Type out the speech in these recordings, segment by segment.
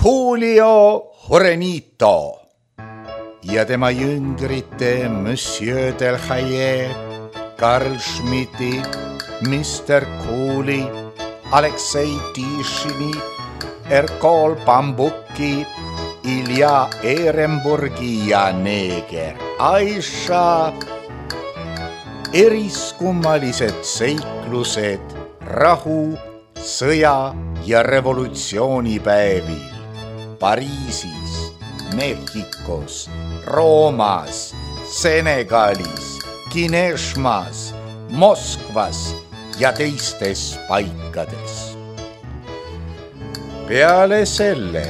Julio Jurenito ja tema jüngrite Monsieur Delhaye, Karl Schmidti, Mr. Cooley, Aleksei Tishini, Erkol Bambuki, Ilja Ehrenburgi ja neeger Aisha. Eriskummalised seiklused rahu, sõja ja revolutsioonipäevil Pariisis, Mehhikos, Roomas, Senegalis, Kineshmas, Moskvas ja teistes paikades. Peale selle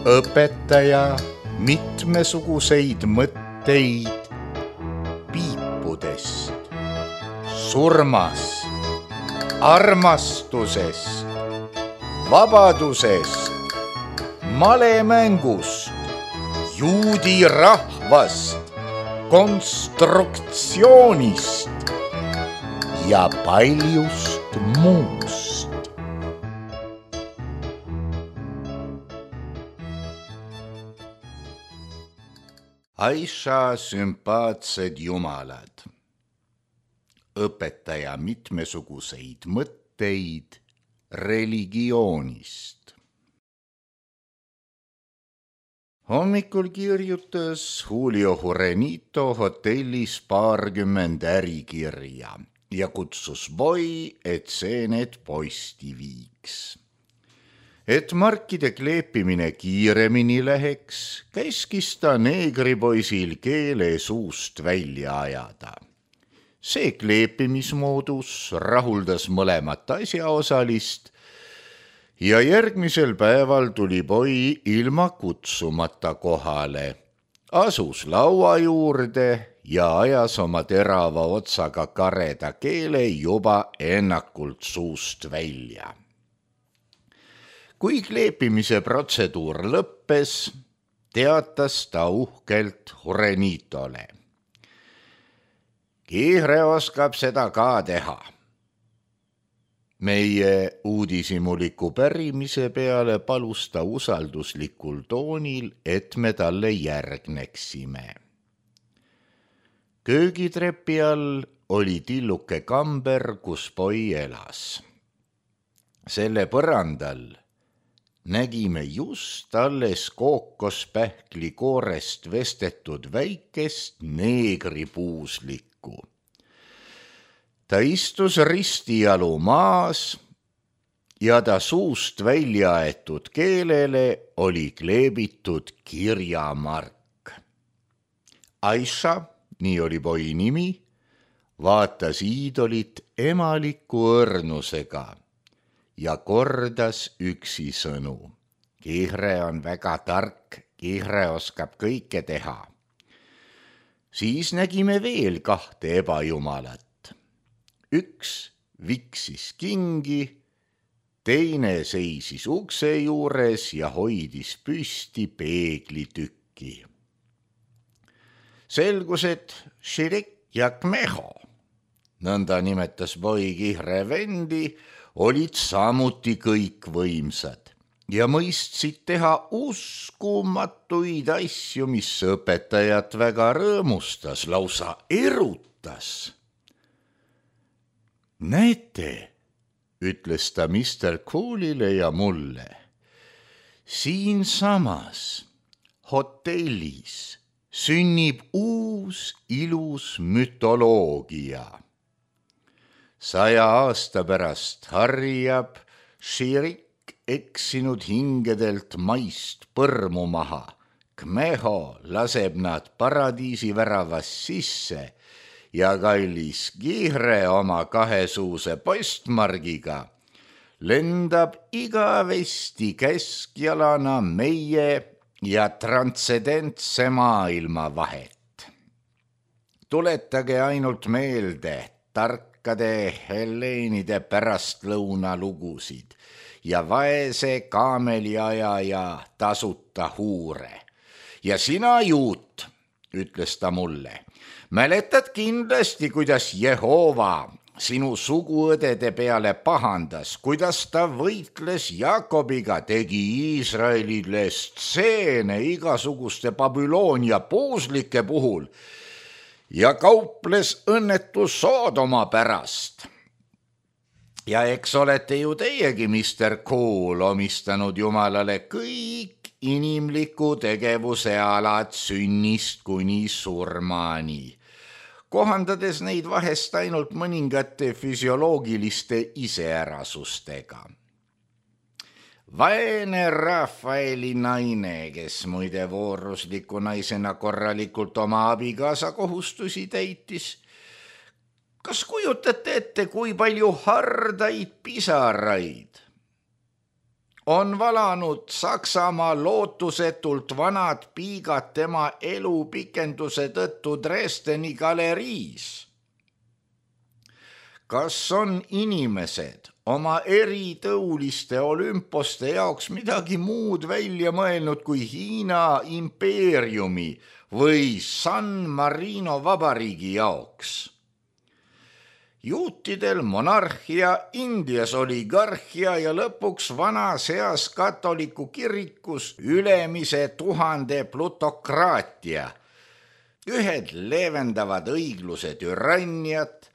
õpetaja mitmesuguseid mõtteid piipudest, surmast, armastusest, vabadusest, malemängust, juudi rahvast, konstruktsioonist ja paljust muust. Aisha sümpaatsed jumalad, õpetaja mitmesuguseid mõtteid religioonist. Hommikul kirjutas Julio Jurenito hotellis 20 ärikirja ja kutsus Boi, et see need posti viiks. Et markide kleepimine kiiremini läheks, käskis ta neegripoisil keele suust välja ajada. See kleepimismoodus rahuldas mõlemat asjaosalist ja järgmisel päeval tuli Boi ilma kutsumata kohale, asus laua juurde ja ajas oma terava otsaga kareda keele juba ennakult suust välja. Kui kleepimise protseduur lõppes, teatas ta uhkelt Jurenitole. Kihre oskab seda ka teha. Meie uudishimuliku pärimise peale palus ta usalduslikul toonil, et me talle järgneksime. Köögitrepi all oli tilluke kamber, kus Boi elas. Selle põrandal nägime just alles kookospähkli koorest vestetud väikest neegripuuslikku. Ta istus ristijalu maas ja ta suust välja aetud keelele oli kleebitud kirjamark. Aisha, nii oli Boi nimi, vaatas iidolit emaliku õrnusega ja kordas üksisõnu. Kihre on väga tark, Kihre oskab kõike teha. Siis nägime veel 2 ebajumalat. Üks viksis kingi, teine seisis ukse juures ja hoidis püsti peeglitükki. Selgus, et Širik ja Kmeho, nõnda nimetas Boi Kihre vendi, olid samuti kõik võimsad ja mõistsid teha uskumatuid asju, mis õpetajat väga rõõmustas, lausa erutas. Näete, ütles ta Mr. Coolile ja mulle, siinsamas hotellis sünnib uus ilus mütoloogia. 100 aasta pärast harjab Širik eksinud hingedelt maist põrmu maha. Kmeho laseb nad paradiisi väravas sisse ja kallis Kihre oma 2-suuse postmargiga lendab igavesti keskjalana meie ja transcendentse maailma vahet. Tuletage ainult meelde tarkade Heleenide pärastlõuna lugusid ja vaese kaameliaja ja tasuta huure. Ja sina, Juut, ütles ta mulle, mäletad kindlasti, kuidas Jehova sinu suguõdede peale pahandas, kuidas ta võitles Jakobiga, tegi Iisraelile stseene igasuguste Babyloonia puuslike puhul ja kauples õnnetu Soodoma pärast. Ja eks olete ju teiegi, Mr. Cool, omistanud Jumalale kõik inimliku tegevuse alad sünnist kuni surmani, kohandades neid vahest ainult mõningate füsioloogiliste iseärasustega. Vaene Rafaeli naine, kes muide voorusliku naisena korralikult oma abikaasa kohustusi täitis, kas kujutate ette, kui palju hardaid pisaraid on valanud Saksamaa lootusetult vanad piigad tema elu pikenduse tõttu Dresdeni galeriis? Kas on inimesed oma eritõuliste olümposte jaoks midagi muud välja mõelnud kui Hiina impeeriumi või San Marino vabariigi jaoks? Juutidel monarhia, Indias oligarhia ja lõpuks vanas heas katoliku kirikus ülemise 1000 plutokraatia. Ühed leevendavad õigluse türanniat,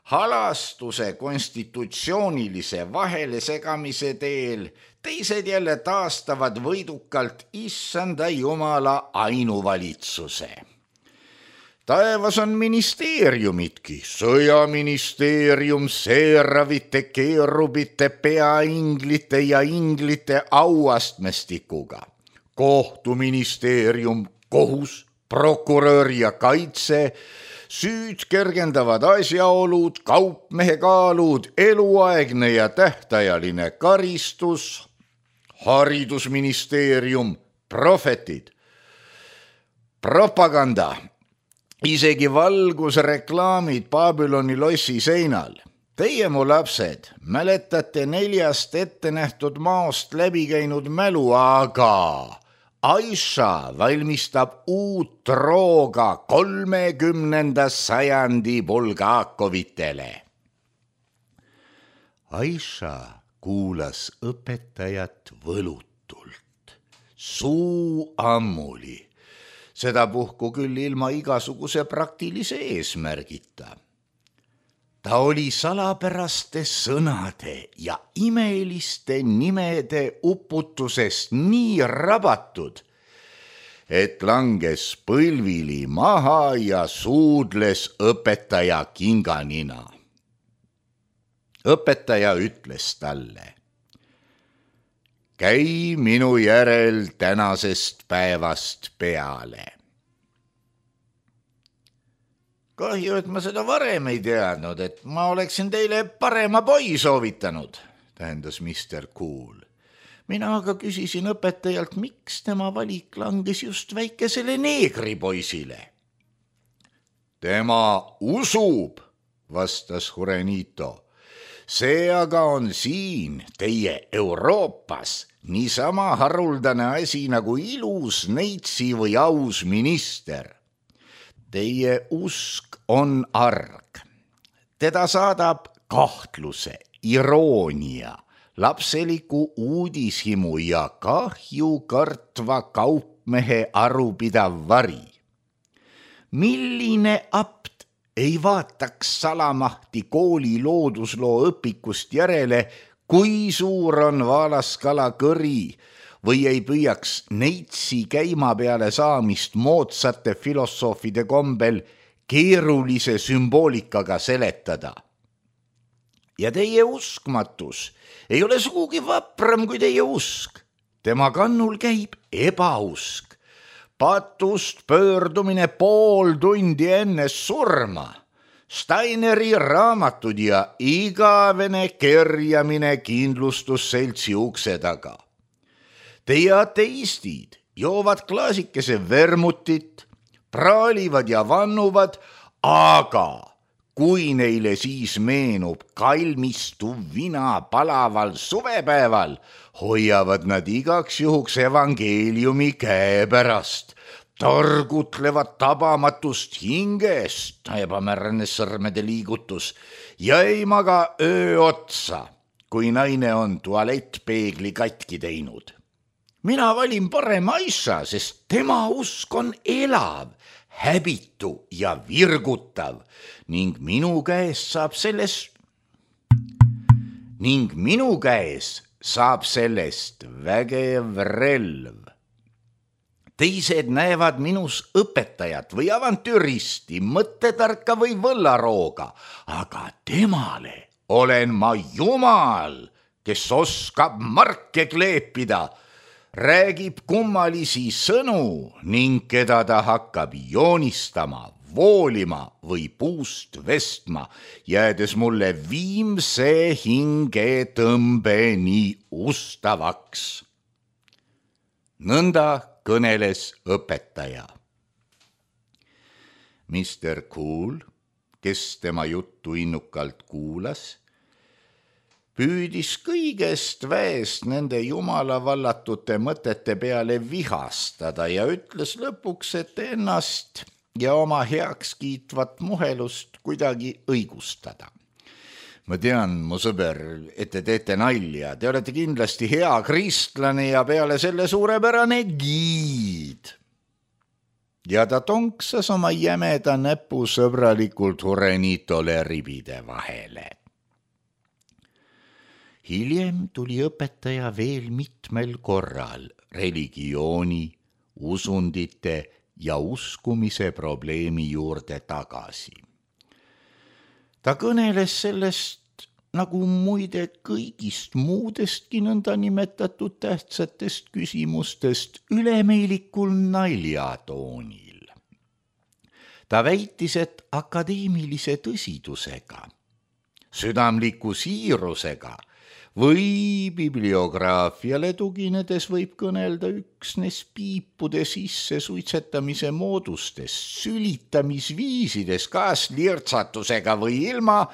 halastuse konstitutsioonilise vahelesegamise teel, teised jälle taastavad võidukalt issanda Jumala ainuvalitsuse. Taevas on ministeeriumitki, sõjaministeerium seeravite, keerubite, peainglite ja inglite auastmestikuga, kohtuministeerium, kohus, prokurör ja kaitse, süüd kergendavad asjaolud, kaupmehe kaalud, eluaegne ja tähtajaline karistus, haridusministeerium, prohvetid, propaganda, isegi valgusreklaamid Babyloni lossi seinal. Teie, mu lapsed, mäletate 4 ette nähtud maost läbi käinud mälu, aga Aisha valmistab uut rooga 30. sajandi bulgaakovitele. Aisha kuulas õpetajat võlutult, suu ammuli, sedapuhku küll ilma igasuguse praktilise eesmärgita. Ta oli salapäraste sõnade ja imeliste nimede uputusest nii rabatud, et langes põlvili maha ja suudles õpetaja kinganina. Õpetaja ütles talle: käi minu järel tänasest päevast peale. Kahju, et ma seda varem ei teadnud, et ma oleksin teile parema poi soovitanud, tähendas Mr. Cool. Mina aga küsisin õpetajalt, miks tema valik langes just väikesele neegripoisile. Tema usub, vastas Jurenito. See aga on siin, teie Euroopas, niisama haruldane asi nagu ilus neitsi või aus minister. Teie usk on arg. Teda saadab kahtluse, iroonia, lapseliku uudishimu ja kahju kartva kaupmehe arupidav vari. Milline apt ei vaataks salamahti kooli loodusloo õpikust järele, kui suur on vaalaskala kõri, või ei püüaks neitsi käima peale saamist moodsate filosoofide kombel keerulise sümboolikaga seletada. Ja teie uskmatus ei ole sugugi vapram kui teie usk. Tema kannul käib ebausk, patust pöördumine pool tundi enne surma, Steineri raamatud ja igavene kerjamine kindlustusseltsi ukse taga. Teie ateistid joovad klaasikese vermutit, praalivad ja vannuvad, aga kui neile siis meenub kalmistu vina palaval suvepäeval, hoiavad nad igaks juhuks evangeeliumi käepärast, targutlevad tabamatust hingest, ebamäärane sõrmede liigutus, ja ei maga öö otsa, kui naine on tualettpeegli katki teinud. Mina valin parema asja, sest tema usk on elav, häbitu ja virgutav ning minu käes saab sellest vägev relv. Teised näevad minus õpetajat või avantüristi, mõttetarka või võllarooga, aga temale olen ma Jumal, kes oskab marke kleepida, räägib kummalisi sõnu ning keda ta hakkab joonistama, voolima või puust vestma, jäädes mulle viimse hingetõmbeni ustavaks. Nõnda kõneles õpetaja. Mr. Cool, kes tema juttu innukalt kuulas, püüdis kõigest väest nende jumala vallatute mõtete peale vihastada ja ütles lõpuks, et ennast ja oma heakskiitvat muhelust kuidagi õigustada. Ma tean, mu sõber, et te teete nalja, te olete kindlasti hea kristlane ja peale selle suurepärane giid. Ja ta tonksas oma jämeda näpu sõbralikult Jurenitole ribide vahele. Hiljem tuli õpetaja veel mitmel korral religiooni, usundite ja uskumise probleemi juurde tagasi. Ta kõneles sellest nagu muide kõigist muudestki nõndanimetatud tähtsatest küsimustest ülemeilikul naljatoonil. Ta väitis, et akadeemilise tõsidusega, südamliku siirusega või bibliograafiale tuginedes võib kõnelda üksnes piipude sisse suitsetamise moodustest, sülitamisviisides, kas lirtsatusega või ilma,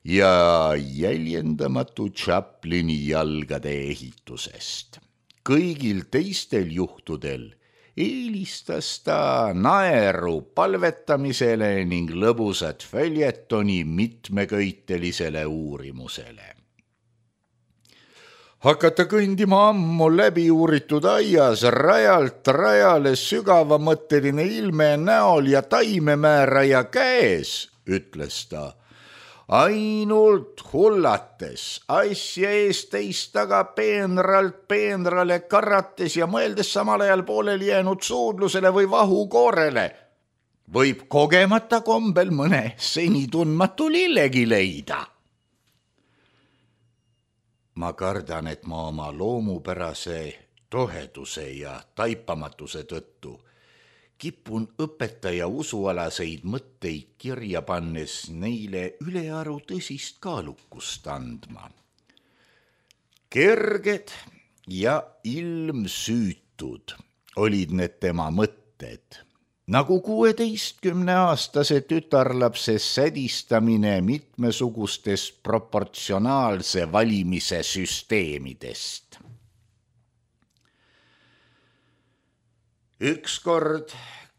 ja jäljendamatu Chaplini jalgade ehitusest. Kõigil teistel juhtudel eelistas ta naeru palvetamisele ning lõbusat följetoni mitmeköitelisele uurimusele. Hakata kõndima ammu läbi uuritud aias, rajalt rajale sügavamõtteline ilme näol ja taimemääraja käes, ütles ta, ainult hullates, asja eest teist taga peenralt peenrale karrates ja mõeldes samal ajal pooleli jäänud suudlusele või vahukoorele, võib kogemata kombel mõne seni tundmatu lillegi leida. Ma kardan, et ma oma loomupärase toheduse ja taipamatuse tõttu kipun õpetaja usualaseid mõtteid kirja pannes neile ülearu tõsist kaalukust andma. Kerged ja ilmsüütud olid need tema mõtted, nagu 16-aastase tütarlapse sädistamine mitmesugustest proportsionaalse valimise süsteemidest. Ükskord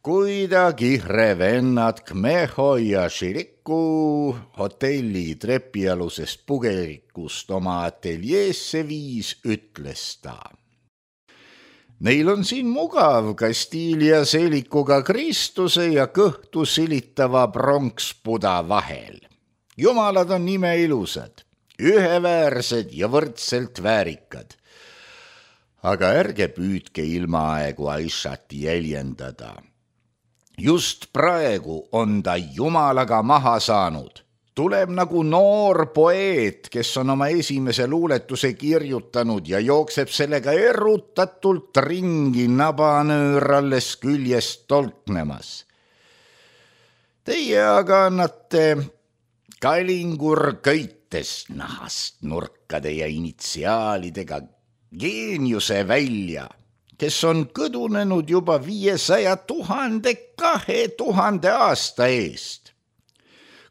kuidagi revennad Kmeho ja Širiku hotelli trepialusest pugelikust oma ateljeesse viis, ütles ta. Neil on siin mugav Kastiili ja seelikuga Kristuse ja kõhtu silitava pronkspuda vahel. Jumalad on imeilusad, üheväärsed ja võrdselt väärikad. Aga ärge püüdke ilmaaegu Aishat jäljendada. Just praegu on ta Jumalaga maha saanud. Tuleb nagu noor poeet, kes on oma esimese luuletuse kirjutanud ja jookseb sellega erutatult ringi nabanööralles küljest tolknemas. Teie aga annate kalingur köitest nahast nurkade ja initsiaalidega geeniuse välja, kes on kõdunenud juba 500 000 2000 aasta eest.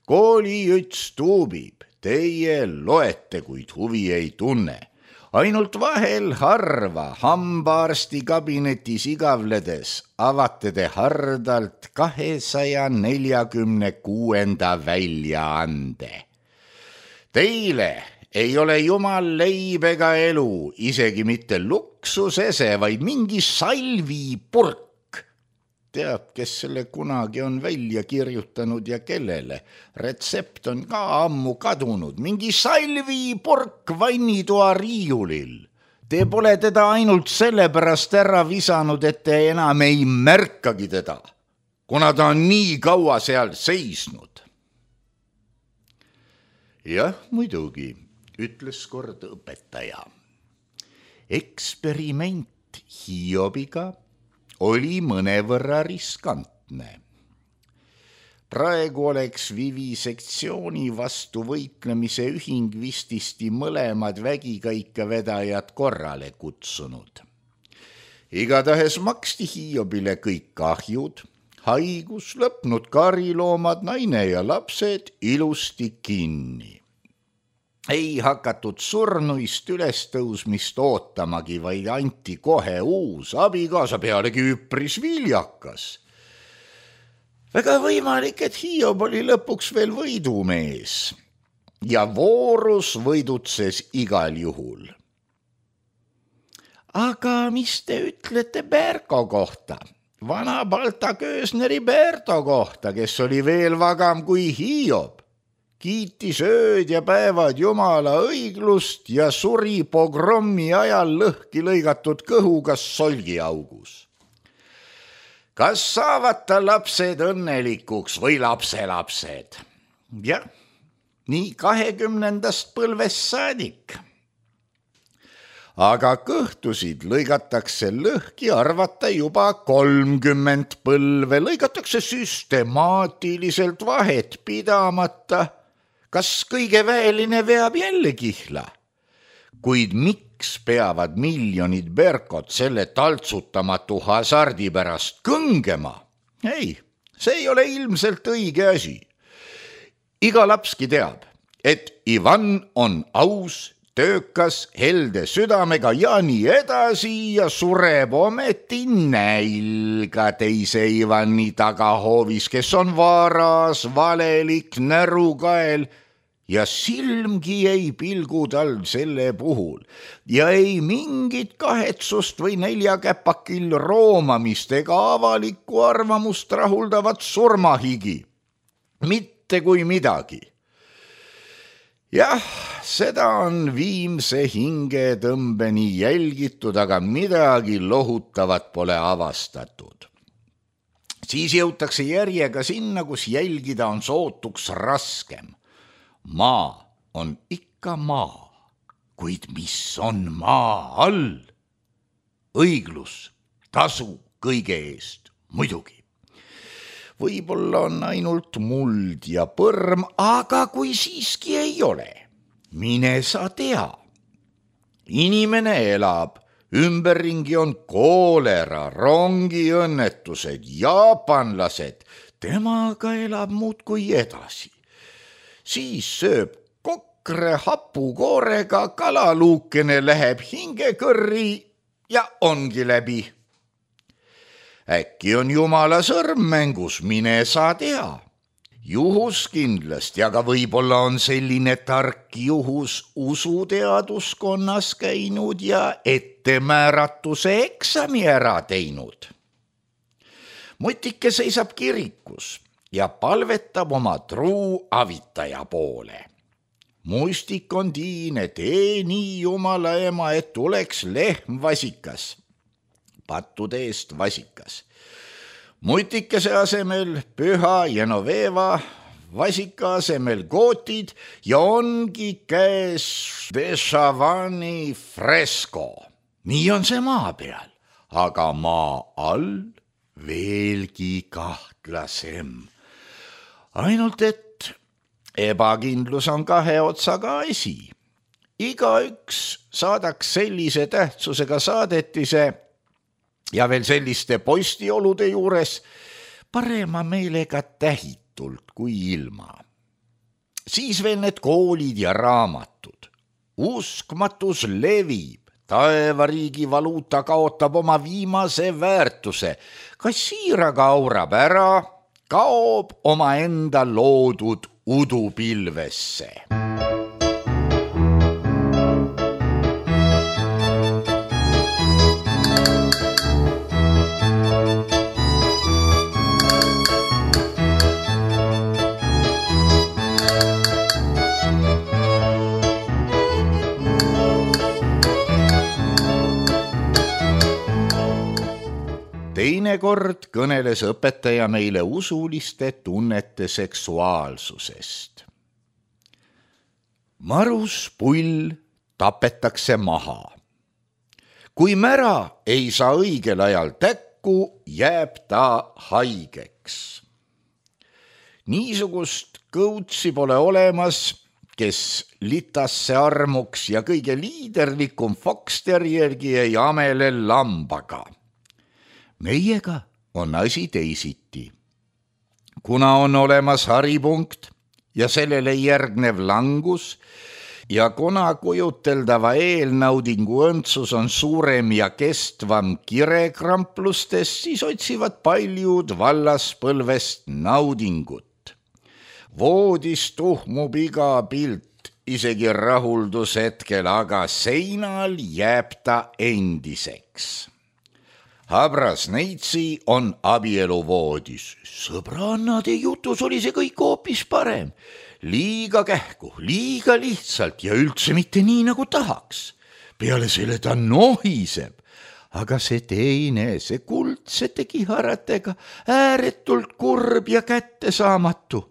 Koolijuts tuubib, teie loete, kuid huvi ei tunne. Ainult vahel harva hambaarsti kabinetis igavledes avate te hardalt 246. väljaande. Teile ei ole jumal leib ega elu, isegi mitte luksusese, vaid mingi salvipurk. Teab, kes selle kunagi on välja kirjutanud ja kellele. Retsept on ka ammu kadunud. Mingi salvipurk vannitoa riiulil. Te pole teda ainult sellepärast ära visanud, et te enam ei märkagi teda, kuna ta on nii kaua seal seisnud. Jah, muidugi, ütles kord õpetaja. Eksperiment Hiobiga oli mõnevõrra riskantne. Praegu oleks vivisektsiooni vastu võitlemise ühing vististi mõlemad vägikaikavedajad korrale kutsunud. Igatahes maksti Hiobile kõik kahjud, haigus, lõpnud kariloomad, naine ja lapsed ilusti kinni. Ei hakatud surnuist ülestõusmist ootamagi, vaid anti kohe uus abikaasa, pealegi üpris viljakas. Väga võimalik, et Hiob oli lõpuks veel võidumees ja voorus võidutses igal juhul. Aga mis te ütlete Berko kohta? Vana Balta Köösneri Berto kohta, kes oli veel vagam kui Hiob. Kiitis ööd ja päevad Jumala õiglust ja suri pogrommi ajal lõhki lõigatud kõhuga solgiaugus. Kas saavad ta lapsed õnnelikuks või lapselapsed? Jah, nii 20. põlvest saadik. Aga kõhtusid lõigatakse lõhki arvata juba 30 põlve, lõigatakse süstemaatiliselt vahet pidamata. Kas kõige väeline veab jälle kihla? Kuid miks peavad miljonid Berkot selle taltsutamatu hasardi pärast kõngema? Ei, see ei ole ilmselt õige asi. Iga lapski teab, et Ivan on aus, töökas, helde südamega ja nii edasi ja sureb ometi nälga teise Ivani tagahoovis, kes on varas, valelik, närukael ja silmgi ei pilgu tal selle puhul ja ei mingit kahetsust või neljakäpakil roomamist ega avalikku arvamust rahuldavat surmahigi. Mitte kui midagi. Jah, seda on viimse hingetõmbeni jälgitud, aga midagi lohutavat pole avastatud. Siis jõutakse järjega sinna, kus jälgida on sootuks raskem. Maa on ikka maa, kuid mis on maa all? Õiglus, tasu kõige eest, muidugi. Võib-olla on ainult muld ja põrm, aga kui siiski ei ole, mine sa tea. Inimene elab, ümberringi on koolera, rongiõnnetused, jaapanlased, temaga elab muudkui edasi. Siis sööb kokre hapukoorega, kalaluukene läheb hingekõrri ja ongi läbi. Äkki on Jumala sõrm mängus, mine sa tea. Juhus kindlasti, aga võib-olla on selline tark juhus usuteaduskonnas käinud ja ettemääratuse eksami ära teinud. Mutike seisab kirikus ja palvetab oma truu avitaja poole. Mustik on tiine, tee nii Jumala ema, et tuleks lehm vasikas, pattude eest vasikas. Mutikese asemel püha Genoveva, vasika asemel gootid ja ongi käes Dešavani fresko. Nii on see maa peal, aga maa all veelgi kahtlasem. Ainult et ebakindlus on kahe otsaga asi. Igaüks saadaks sellise tähtsusega saadetise ja veel selliste postiolude juures parema meelega tähitult kui ilma. Siis veel need koolid ja raamatud. uskmatus levib, taevariigi valuuta kaotab oma viimase väärtuse, kassiiraga aurab ära, kaob omaenda loodud udupilvesse. Teinekord kõneles õpetaja meile usuliste tunnete seksuaalsusest. Maruspull tapetakse maha. Kui mära ei saa õigel ajal täkku, jääb ta haigeks. Niisugust kõutsi pole olemas, kes litasse armuks ja kõige liiderlikum foxterjergi ei amele lambaga. Meiega on asi teisiti. Kuna on olemas haripunkt ja sellele järgnev langus ja kuna kujuteldava eelnaudingu õndsus on suurem ja kestvam kirekramplustest, siis otsivad paljud vallaspõlvest naudingut. Voodis tuhmub iga pilt, isegi rahuldushetkel, aga seinal jääb ta endiseks. Habras neitsi on abieluvoodis. Sõbrannade jutus oli see kõik hoopis parem. Liiga kähku, liiga lihtsalt ja üldse mitte nii, nagu tahaks. Peale selle ta nohiseb. Aga see teine, see kuldsete kiharatega, ääretult kurb ja kättesaamatu.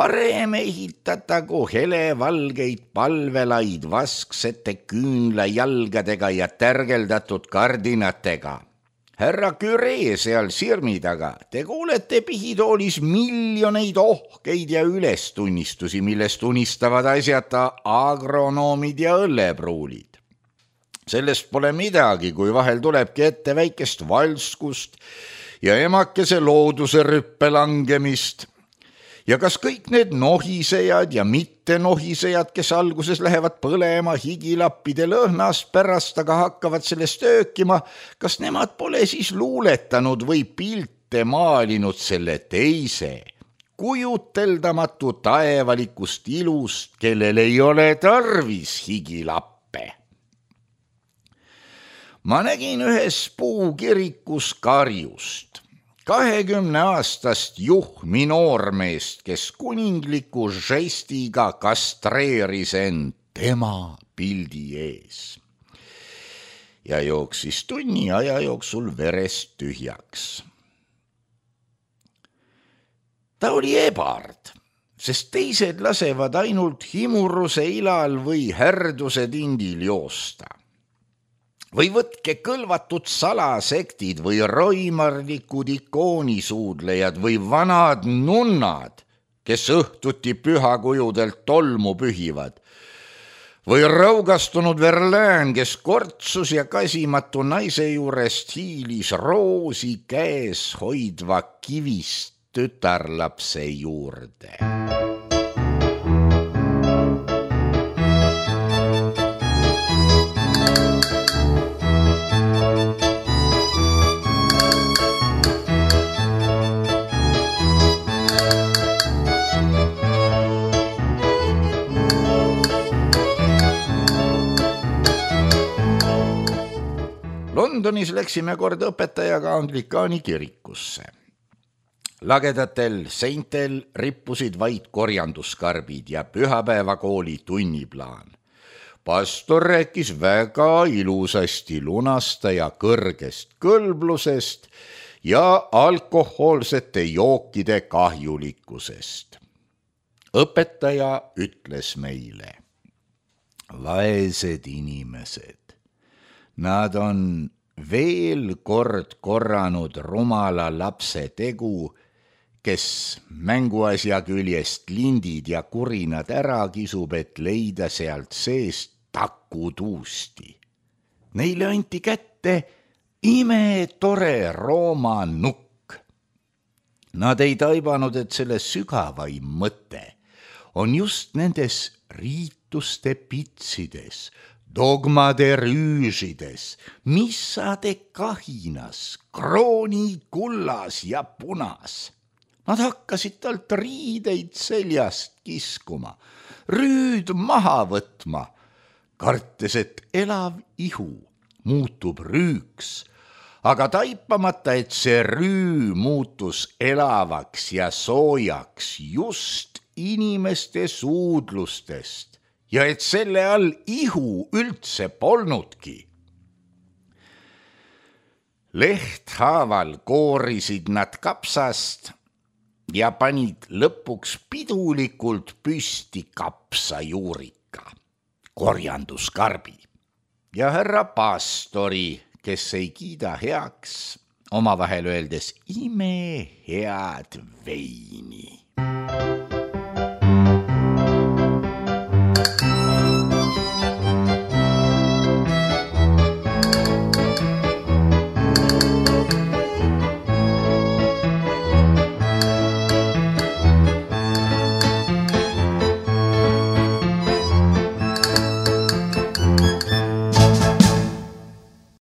Parem ehitatagu helevalgeid palvelaid vasksete küünlajalgadega ja tärgeldatud kardinatega. Härra Küree seal sirmi taga, te kuulete pihitoolis miljoneid ohkeid ja ülestunnistusi, millest unistavad asjata agronoomid ja õllepruulid. Sellest pole midagi, kui vahel tulebki ette väikest valskust ja emakese looduse rüppe langemist. Ja kas kõik need nohisejad ja mitte nohisejad, kes alguses lähevad põlema higilappide lõhnast pärast, aga hakkavad sellest öökima, kas nemad pole siis luuletanud või pilte maalinud selle teise, kujuteldamatu taevalikust ilust, kellel ei ole tarvis higilappe? Ma nägin ühes puukirikus karjust. 20-aastast juhmi noormeest, kes kuningliku žestiga kastreeris end tema pildi ees ja jooksis tunni aja jooksul verest tühjaks. Ta oli ebard, sest teised lasevad ainult himuruse ilal või härduse tindil joosta. Või võtke kõlvatud salasektid või roimarlikud ikoonisuudlejad või vanad nunnad, kes õhtuti pühakujudelt tolmu pühivad. Või raugastunud Verlään, kes kortsus ja kasimatu naise juurest hiilis roosi käes hoidva kivist tütarlapse juurde. Londonis läksime kord õpetajaga anglikaani kirikusse. Lagedatel seintel rippusid vaid korjanduskarbid ja pühapäevakooli tunniplaan. Pastor rääkis väga ilusasti lunastaja kõrgest kõlblusest ja alkohoolsete jookide kahjulikkusest. Õpetaja ütles meile: vaesed inimesed. Nad on veel kord korranud rumala lapse tegu, kes mänguasja küljest lindid ja kurinad ära kisub, et leida sealt seest takutuusti. Neile anti kätte imetore Rooma nukk. Nad ei taibanud, et selle sügavaim mõte on just nendes riituste pitsides, dogmade rüüžides, missade kahinas, krooni kullas ja punas. Nad hakkasid talt riideid seljast kiskuma, rüüd maha võtma, kartes, et elav ihu muutub rüüks, aga taipamata, et see rüü muutus elavaks ja soojaks just inimeste suudlustest ja et selle all ihu üldse polnudki. Lehthaaval koorisid nad kapsast ja panid lõpuks pidulikult püsti kapsajuurika, korjanduskarbi ja härra pastori, kes ei kiida heaks, omavahel öeldes imehead veini.